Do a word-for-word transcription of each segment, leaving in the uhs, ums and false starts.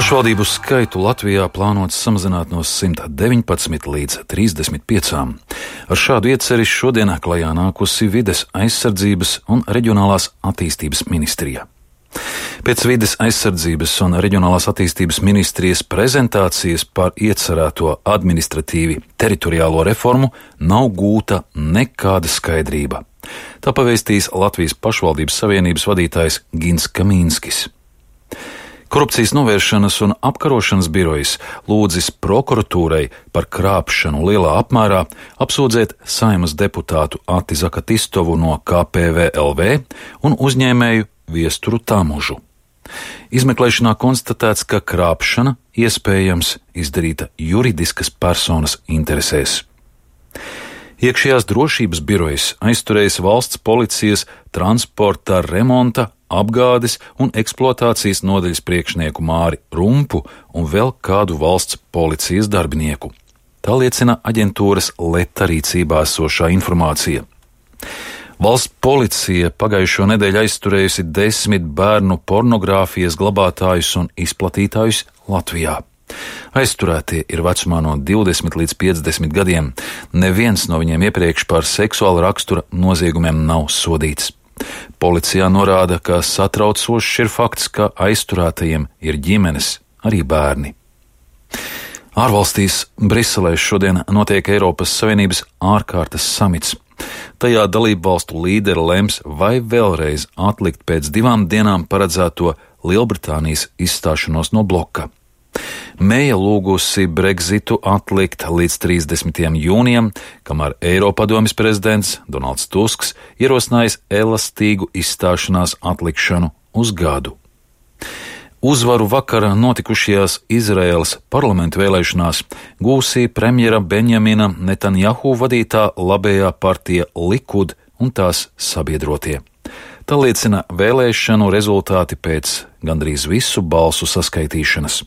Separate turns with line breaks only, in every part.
Pašvaldību skaitu Latvijā plānots samazināt no simta deviņpadsmit līdz trīsdesmit piecām. Ar šādu ieceri šodien klajā nākusi Vides aizsardzības un reģionālās attīstības ministrija. Pēc Vides aizsardzības un reģionālās attīstības ministrijas prezentācijas par iecerēto administratīvi teritoriālo reformu nav gūta nekāda skaidrība. Tā pavēstīs Latvijas pašvaldības savienības vadītājs Gins Kamīnskis. Korupcijas novēršanas un apkarošanas birojas lūdzis prokuratūrai par krāpšanu lielā apmērā apsūdzēt Saeimas deputātu Ati Zakatistovu no K P V L V un uzņēmēju Viesturu Tamužu. Izmeklēšanā konstatēts, ka krāpšana iespējams izdarīta juridiskas personas interesēs. Iekšējās drošības birojas aizturējis valsts policijas transporta remonta, apgādes un eksploatācijas nodaļas priekšnieku Māri Rumpu un vēl kādu valsts policijas darbinieku. Tā liecina aģentūras Leta rīcībā esošā informācija. Valsts policija pagājušo nedēļu aizturējusi desmit bērnu pornogrāfijas glabātājus un izplatītājus Latvijā. Aizturētie ir vecumā no divdesmit līdz piecdesmit gadiem. Neviens no viņiem iepriekš par seksuāla rakstura noziegumiem nav sodīts. Policijā norāda, ka satraucošs ir fakts, ka aizturētajiem ir ģimenes, arī bērni. Ārvalstīs Briselē šodien notiek Eiropas Savienības ārkārtas samits. Tajā dalību valstu līderi lems, vai vēlreiz atlikt pēc divām dienām paredzēto Lielbritānijas izstāšanos no bloka. Meija lūgusi Brexitu atlikt līdz trīsdesmitajam jūnijam, kamēr Eiropadomes prezidents Donalds Tusks ierosinājis elastīgu izstāšanās atlikšanu uz gadu. Uzvaru vakarā notikušajās Izraēlas parlamentu vēlēšanās gūsī premjera Benjamina Netanjahu vadītā labējā partija Likud un tās sabiedrotie. Tā liecina vēlēšanu rezultāti pēc gandrīz visu balsu saskaitīšanas.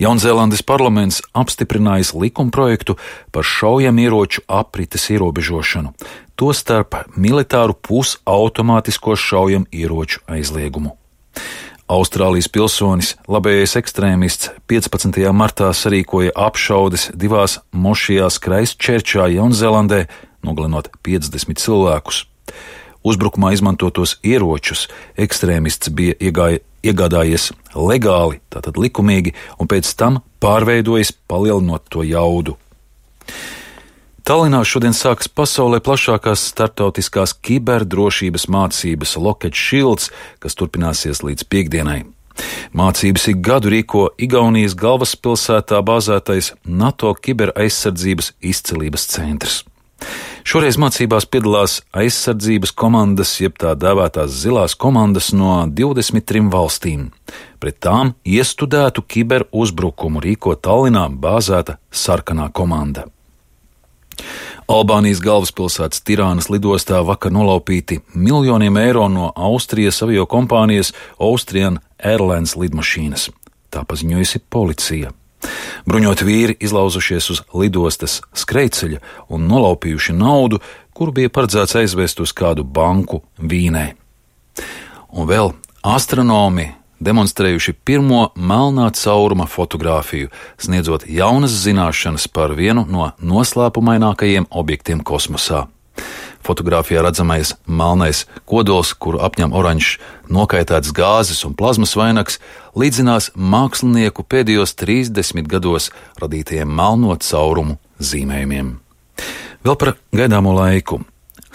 Jaunzēlandes parlaments apstiprinājis likumprojektu par šaujamieroču aprites ierobežošanu, tostarp militāru pusautomātisko šaujamieroču aizliegumu. Austrālijas pilsonis, labējais ekstrēmists, piecpadsmitajā martā sarīkoja apšaudes divās mošijās Kraistčerčā, Jaunzēlandē, nogalinot piecdesmit cilvēkus. Uzbrukumā izmantotos ieročus ekstrēmists bija iegāja, iegādājies legāli, tātad likumīgi, un pēc tam pārveidojis, palielinot to jaudu. Tallinā šodien sākas pasaulē plašākās starptautiskās kiberdrošības mācības Lockheed Shields, kas turpināsies līdz piektdienai. Mācības ik gadu rīko Igaunijas galvaspilsētā bāzētais NATO kiberaizsardzības izcilības centrs. Šoreiz mācībās piedalās aizsardzības komandas, jeb tā dēvētās zilās komandas no divdesmit trim valstīm. Pret tām iestudētu kiberuzbrukumu rīko Tallinā bāzēta sarkanā komanda. Albānijas galvaspilsētas Tirānas lidostā vakar nolaupīti miljoniem eiro no Austrijas aviokompānijas Austrian Airlines lidmašīnas. Tā paziņojusi policija. Bruņoti vīri izlauzušies uz lidostas skrejceļa un nolaupījuši naudu, kuru bija paredzēts aizvest uz kādu banku Vīnē. Un vēl astronomi demonstrējuši pirmo melnā cauruma fotogrāfiju, sniedzot jaunas zināšanas par vienu no noslēpumainākajiem objektiem kosmosā. Fotogrāfijā redzamais melnais kodols, kuru apņem oranžs nokaitēts gāzes un plazmas vainags, līdzinās mākslinieku pēdējos trīsdesmit gados radītajiem melno caurumu zīmējumiem. Vēl par gaidāmo laiku.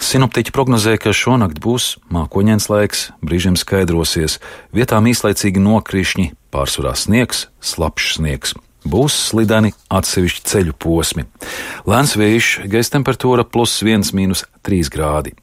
Sinoptiķi prognozē, ka šonakt būs mākoņains laiks, brīžiem skaidrosies, vietām īslaicīgi nokrišņi, pārsvarā sniegs, slapjš sniegs. Būs slideni atsevišķi ceļu posmi. Lēns vējš, gaisa temperatūra plus viens mīnus trīs grādi.